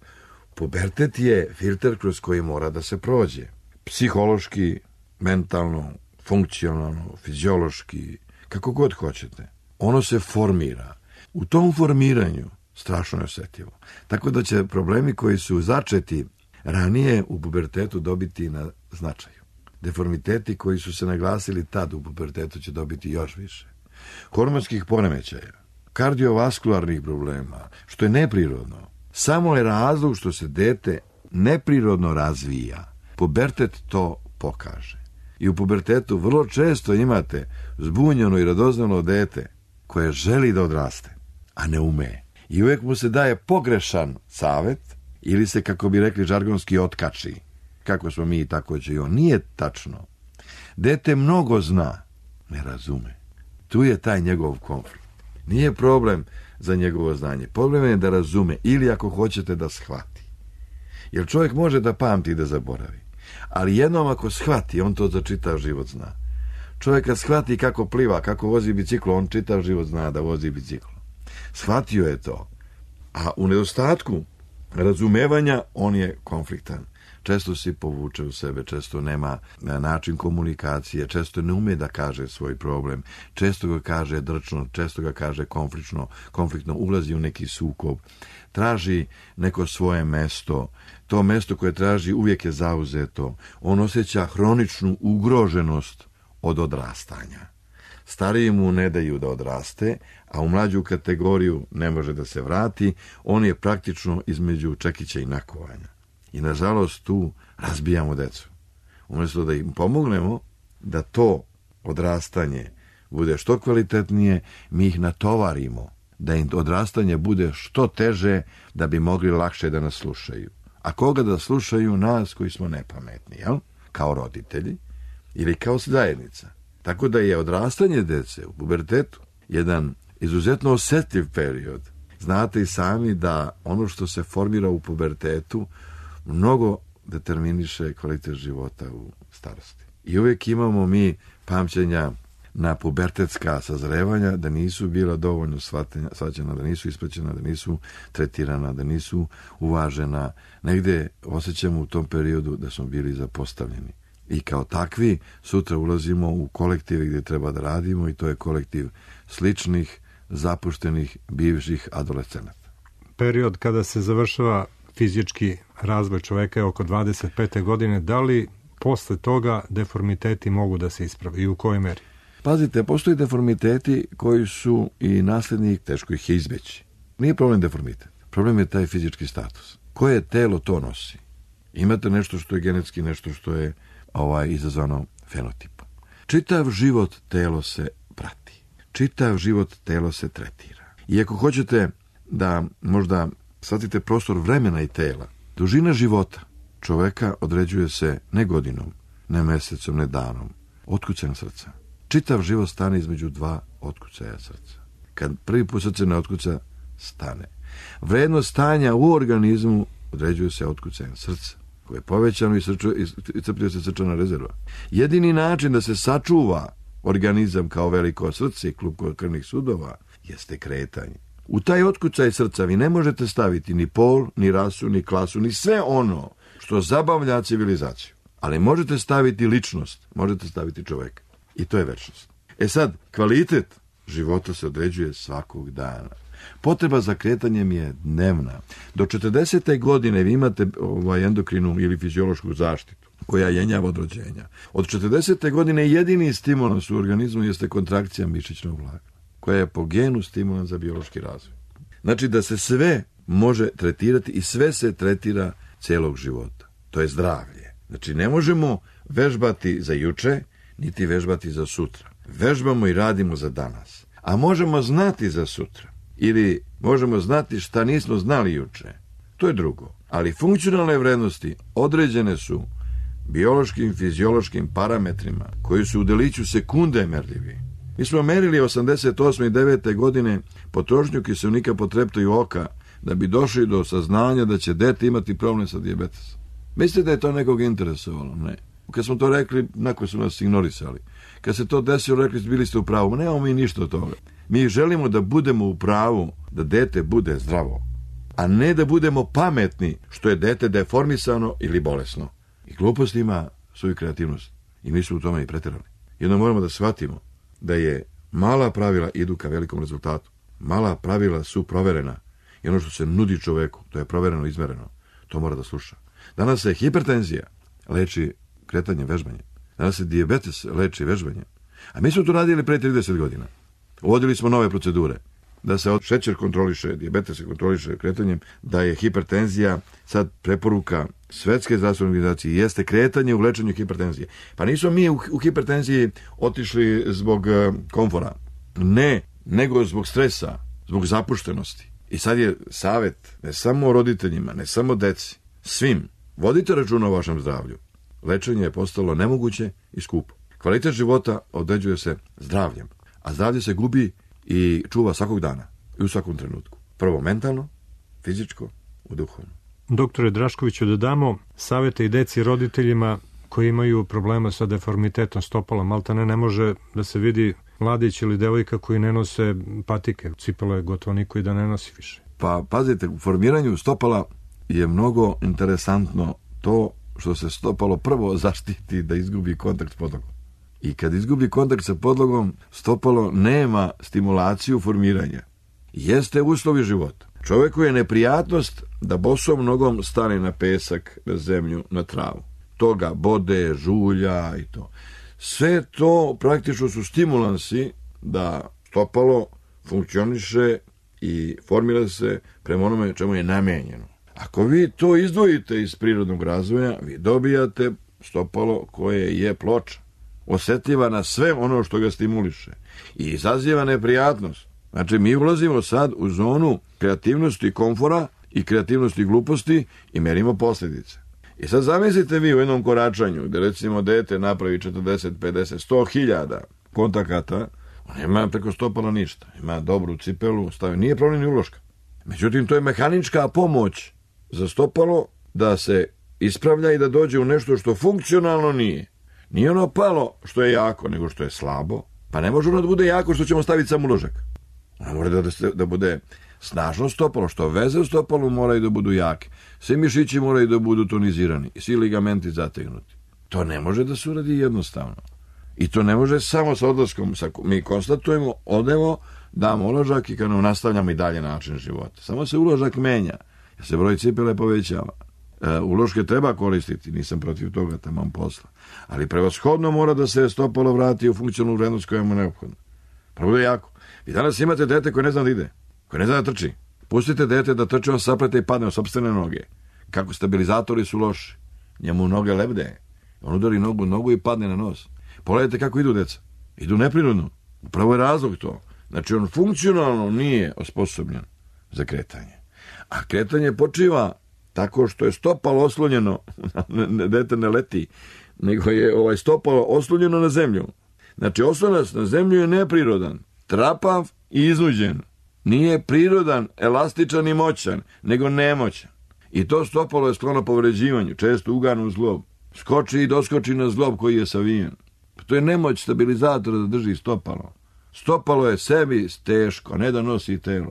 pubertet je filter kroz koji mora da se prođe. Psihološki, mentalno, funkcionalno, fiziološki, kako god hoćete. Ono se formira. U tom formiranju strašno je osjetljivo. Tako da će problemi koji su začeti ranije u pubertetu dobiti na značaju. Deformiteti koji su se naglasili tad u pubertetu će dobiti još više. Hormonskih poremećaja, kardiovaskularnih problema, što je neprirodno. Samo je razlog što se dete neprirodno razvija. Pubertet to pokaže. I u pubertetu vrlo često imate zbunjeno i radoznalo dete koje želi da odraste, a ne ume. I uvijek mu se daje pogrešan savjet ili se, kako bi rekli žargonski, otkači. Kako smo mi, tako će i on. Nije tačno. Dete mnogo zna, ne razume. Tu je taj njegov konflikt. Nije problem za njegovo znanje. Problem je da razume ili, ako hoćete, da shvati. Jer čovjek može da pamti i da zaboravi. Ali jednom ako shvati, on to za čitav život zna. Čovjek kad shvati kako pliva, kako vozi biciklo, on čitav život zna da vozi biciklo. Shvatio je to. A u nedostatku razumevanja on je konfliktan. Često se povuče u sebe, često nema način komunikacije, često ne ume da kaže svoj problem, često ga kaže drčno, često ga kaže konfliktno, ulazi u neki sukob, traži neko svoje mesto, to mesto koje traži uvijek je zauzeto, on osjeća hroničnu ugroženost od odrastanja. Stariji mu ne daju da odraste, a u mlađu kategoriju ne može da se vrati, on je praktično između čekića i nakovanja. I nažalost tu razbijamo decu. Umjesto da im pomognemo da to odrastanje bude što kvalitetnije, mi ih natovarimo da im odrastanje bude što teže da bi mogli lakše da nas slušaju. A koga da slušaju? Nas koji smo nepametni, jel? Kao roditelji ili kao zajednica. Tako da je odrastanje dece u pubertetu jedan izuzetno osjetljiv period. Znate i sami da ono što se formira u pubertetu mnogo determiniše kvalitet života u starosti. I uvijek imamo mi pamćenja na pubertetska sazrevanja da nisu bila dovoljno shvaćena, da nisu ispraćena, da nisu tretirana, da nisu uvažena. Negde osjećamo u tom periodu da smo bili zapostavljeni. I kao takvi sutra ulazimo u kolektive gdje treba da radimo i to je kolektiv sličnih, zapuštenih, bivših adolescenata. Period kada se završava fizički razvoj čoveka je oko 25. godine. Da li posle toga deformiteti mogu da se ispravi i u kojoj meri? Pazite, postoji deformiteti koji su i naslednik, teško ih je izbeći. Nije problem deformitet. Problem je taj fizički status. Koje telo to nosi? Imate nešto što je genetski, nešto što je izazvano fenotipom. Čitav život telo se prati. Čitav život telo se tretira. I ako hoćete da možda shvatite prostor vremena i tela, dužina života čoveka određuje se ne godinom, ne mesecom, ne danom, otkucajem srca. Čitav život stane između dva otkucaja srca. Kad prvi put srce ne otkuca, stane. Vrednost stanja u organizmu određuje se otkucajem srca, koje je povećano i crpljuje se srčana rezerva. Jedini način da se sačuva organizam kao veliko srce i klub krvnih sudova jeste kretanje. U taj otkucaj srca vi ne možete staviti ni pol, ni rasu, ni klasu, ni sve ono što zabavlja civilizaciju. Ali možete staviti ličnost, možete staviti čoveka. I to je večnost. E sad, kvalitet života se određuje svakog dana. Potreba za kretanjem je dnevna. Do 40. godine vi imate endokrinu ili fiziološku zaštitu koja jenjava od rođenja. Od 40. godine jedini stimulans u organizmu jeste kontrakcija mišićnog vlakna, koja je po genu stimulans za biološki razvoj. Znači da se sve može tretirati i sve se tretira celog života. To je zdravlje. Znači ne možemo vežbati za juče, niti vežbati za sutra. Vežbamo i radimo za danas. A možemo znati za sutra. Ili možemo znati šta nismo znali juče. To je drugo. Ali funkcionalne vrednosti određene su biološkim, fiziološkim parametrima koji su u deliću sekunde merljivi. Mi smo merili 88. i 9. godine potrošnju kiseonika po treptaju oka da bi došli do saznanja da će dete imati problem sa dijabetesom. Mislite da je to nekog interesovalo? Ne. Kad smo to rekli, nakon su nas ignorisali. Kad se to desilo, rekli bili ste u pravu. Nemamo mi ništa od toga. Mi želimo da budemo u pravu, da dete bude zdravo, a ne da budemo pametni što je dete deformisano ili bolesno. I glupost ima svoju kreativnost. I mi smo u tome i preterali. Jedno moramo da shvatimo da je mala pravila idu ka velikom rezultatu. Mala pravila su proverena. I ono što se nudi čoveku, to je provereno, izmereno. To mora da sluša. Danas se hipertenzija leči kretanjem, vežbanjem. Danas se dijabetes leči vežbanjem. A mi smo to radili pre 30 godina. Uvodili smo nove procedure. Da se šećer kontroliše, dijabetes se kontroliše kretanjem, da je hipertenzija sad preporuka Svetske zdravstvene organizacije jeste kretanje u lečenju hipertenzije. Pa nismo mi u hipertenziji otišli zbog komfora. Ne, nego zbog stresa, zbog zapuštenosti. I sad je savjet ne samo roditeljima, ne samo deci, svim. Vodite računa o vašem zdravlju. Lečenje je postalo nemoguće i skupo. Kvalitet života određuje se zdravljem, a zdravlje se gubi i čuva svakog dana i u svakom trenutku. Prvo mentalno, fizičko, u duhovno. Doktore Draškoviću, da damo savete i deci roditeljima koji imaju problema sa deformitetom stopala. Maltene ne može da se vidi mladić ili devojka koji ne nose patike. Cipele gotovo niko i da ne nosi više. Pa pazite, u formiranju stopala je mnogo interesantno to što se stopalo prvo zaštiti da izgubi kontakt s podlogom. I kad izgubi kontakt sa podlogom, stopalo nema stimulaciju formiranja. Jeste uslovi života. Čovjeku je neprijatnost da bosom nogom stane na pesak, na zemlju, na travu. Toga bode, žulja i to. Sve to praktično su stimulansi da stopalo funkcioniše i formira se prema onome čemu je namenjeno. Ako vi to izdvojite iz prirodnog razvoja, vi dobijate stopalo koje je ploča, osjetljiva na sve ono što ga stimuliše i izaziva neprijatnost. Znači, mi ulazimo sad u zonu kreativnosti komfora i kreativnosti gluposti i merimo posljedice. I sad zamislite vi u jednom koračanju, gde recimo dete napravi 40, 50, 100 hiljada kontakata, on nema preko stopala ništa. Ima dobru cipelu, stavi, nije problem ni uloška. Međutim, to je mehanička pomoć za stopalo da se ispravlja i da dođe u nešto što funkcionalno nije. Nije ono palo što je jako, nego što je slabo. Pa ne može ono da bude jako što ćemo staviti sam uložak. Ono mora da bude snažno stopalo, što veze u stopalu moraju da budu jake. Svi mišići moraju da budu tonizirani i svi ligamenti zategnuti. To ne može da se uradi jednostavno. I to ne može samo sa odlaskom. Mi konstatujemo, odemo, damo uložak i kad nam nastavljamo i dalje način života. Samo se uložak menja, jer se broj cipele povećava. Uloške treba koristiti, nisam protiv toga, tamam posla. Ali prevashodno mora da se stopalo vrati u funkcionalnu vrednost koja mu je neophodna. Pa bude jako. Vi danas imate dete koje ne zna da ide, koje ne zna da trči. Pustite dete da trče, on saplete i padne od sopstvene noge. Kako stabilizatori su loši. Njemu noge lebde. On udari nogu i padne na nos. Pogledajte kako idu deca. Idu neprirodno. Upravo je razlog to. Znači, on funkcionalno nije osposobljen za kretanje. A kretanje počiva tako što je stopalo oslonjeno, dete ne leti, nego je stopalo oslonjeno na zemlju. Znači, oslonac na zemlju je neprirodan, trapav i iznuđen. Nije prirodan, elastičan i moćan, nego nemoćan. I to stopalo je sklono povređivanju, često uganu u zglob. Skoči i doskoči na zglob koji je savijen. To je nemoć stabilizatora da drži stopalo. Stopalo je sebi teško, ne da nosi telo.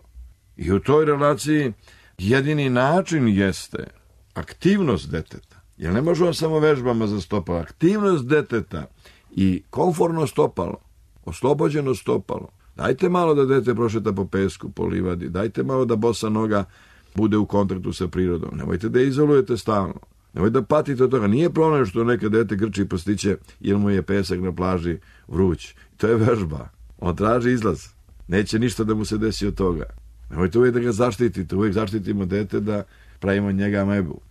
I u toj relaciji jedini način jeste aktivnost deteta. Jer ne možemo samo vežbama za stopalo. Aktivnost deteta i komforno stopalo, oslobođeno stopalo, Dajte malo da dete prošeta po pesku, po livadi, dajte malo da bosa noga bude u kontaktu sa prirodom. Nemojte da izolujete stalno. Nemojte da patite od toga. Nije problem što neka dete grči i postiće jer mu je pesak na plaži vruć. To je vežba. On traži izlaz. Neće ništa da mu se desi od toga. Nemojte uvijek da ga zaštitite. Uvijek zaštitimo dete da pravimo njega amebu.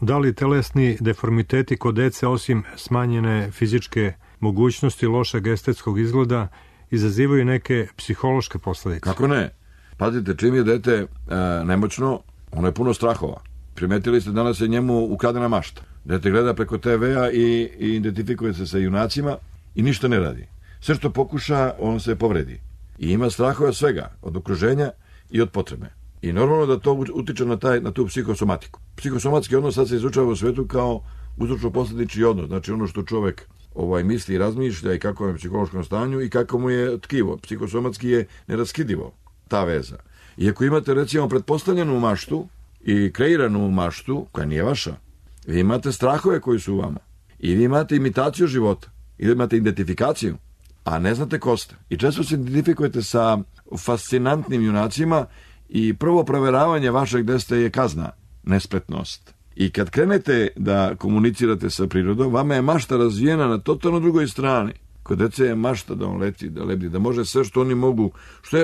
Da li telesni deformiteti kod dece, osim smanjene fizičke mogućnosti, lošeg estetskog izgleda, izazivaju neke psihološke posledice? Kako ne? Pazite, čim je dete nemoćno, ono je puno strahova. Primetili ste, danas je njemu ukradena mašta. Dete gleda preko TV-a i identifikuje se sa junacima i ništa ne radi. Sve što pokuša, on se povredi. I ima strahova svega, od okruženja i od potrebe. I normalno da to utiče na tu psihosomatiku. Psihosomatski odnos sad se izučava u svetu kao uzročno-posledični odnos. Znači ono što čovek misli i razmišlja i kako je u psihološkom stanju i kako mu je tkivo. Psihosomatski je neraskidivo ta veza. I ako imate recimo pretpostavljenu maštu i kreiranu maštu koja nije vaša, vi imate strahove koji su u vama. I vi imate imitaciju života. Ili imate identifikaciju, a ne znate ko ste. I često se identifikujete sa fascinantnim junacima i prvo proveravanje vašeg desta je kazna, nespretnost. I kad krenete da komunicirate sa prirodom, vama je mašta razvijena na totalno drugoj strani. Kod dece je mašta da on leti, da lebdi, da može sve što oni mogu,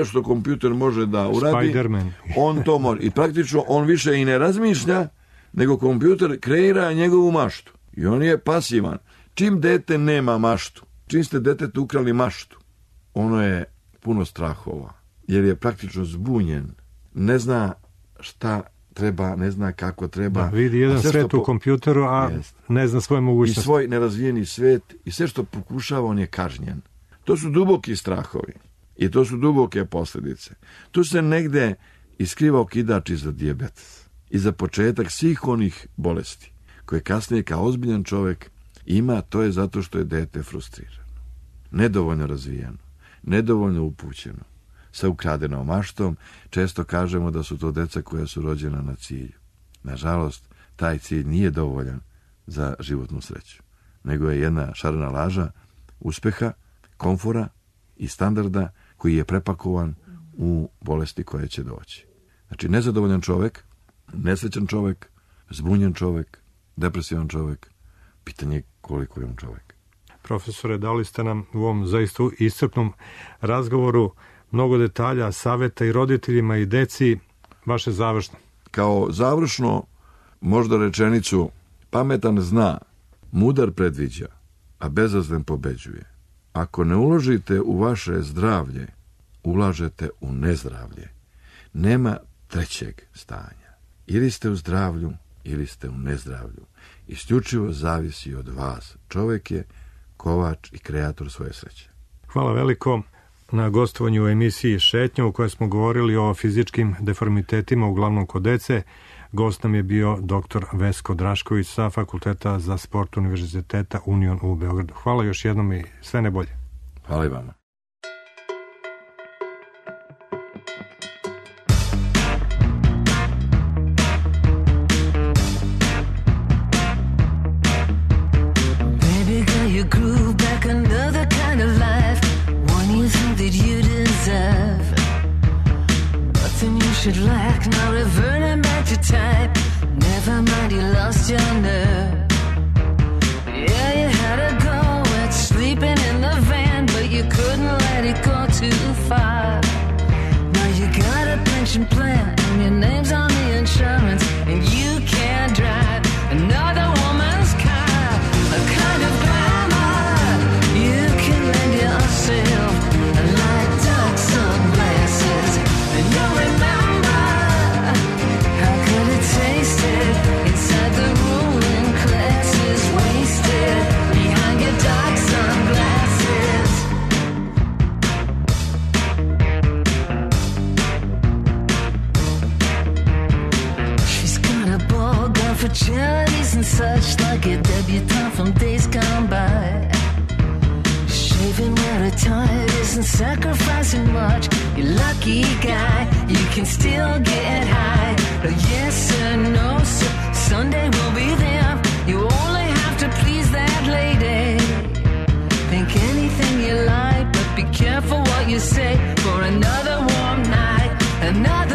što kompjuter može da uradi, Spider-Man. On to može. I praktično on više i ne razmišlja, nego kompjuter kreira njegovu maštu. I on je pasivan. Čim dete nema maštu, čim ste detetu ukrali maštu, ono je puno strahova, jer je praktično zbunjen. Ne zna šta treba, ne zna kako treba. Da, vidi jedan svet u kompjuteru, a ne zna svoje mogućnosti. I svoj nerazvijeni svet i sve što pokušava, on je kažnjen. To su duboki strahovi i to su duboke posljedice. Tu se negde iskriva okidač i za dijabetes i za početak svih onih bolesti koje kasnije kao ozbiljan čovjek ima, to je zato što je dete frustrirano, nedovoljno razvijeno, nedovoljno upućeno, sa ukradenom maštom. Često kažemo da su to deca koja su rođena na cilju. Nažalost, taj cilj nije dovoljan za životnu sreću, nego je jedna šarena laža uspeha, komfora i standarda koji je prepakovan u bolesti koje će doći. Znači, nezadovoljan čovjek, nesrećan čovjek, zbunjen čovjek, depresivan čovjek, pitanje je koliko je on čovjek. Profesore, dali ste nam u ovom zaista iscrpnom razgovoru mnogo detalja, saveta i roditeljima i deci. Vaše završno. Kao završno, možda rečenicu: pametan zna, mudar predviđa, a bezazlen pobeđuje. Ako ne uložite u vaše zdravlje, ulažete u nezdravlje. Nema trećeg stanja. Ili ste u zdravlju, ili ste u nezdravlju. Isključivo zavisi od vas. Čovjek je kovač i kreator svoje sreće. Hvala veliko na gostovanju u emisiji Šetnja, u kojoj smo govorili o fizičkim deformitetima, uglavnom kod dece. Gost nam je bio dr. Vesko Drašković sa Fakulteta za sport Univerziteta Union u Beogradu. Hvala još jednom i sve najbolje. Hvala i vama. Should lack, now reverting back to type. Never mind, you lost your nerve. Yeah, you had a go at sleeping in the van, but you couldn't let it go too far. Now you got a pension plan, and your name's on the insurance, and you can't drive another woman's car. A kind of glamour you can lend yourself, like dark sunglasses, and you'll remember tasted inside the ruling classes, wasted behind your dark sunglasses. She's got a ball gown for charities and such, like a debutante from days gone by. Shaving where her tired isn't sacrificing much. You lucky guy, you can still get high. Yes or no, sir, Sunday will be there. You only have to please that lady. Think anything you like, but be careful what you you say, for another warm night, another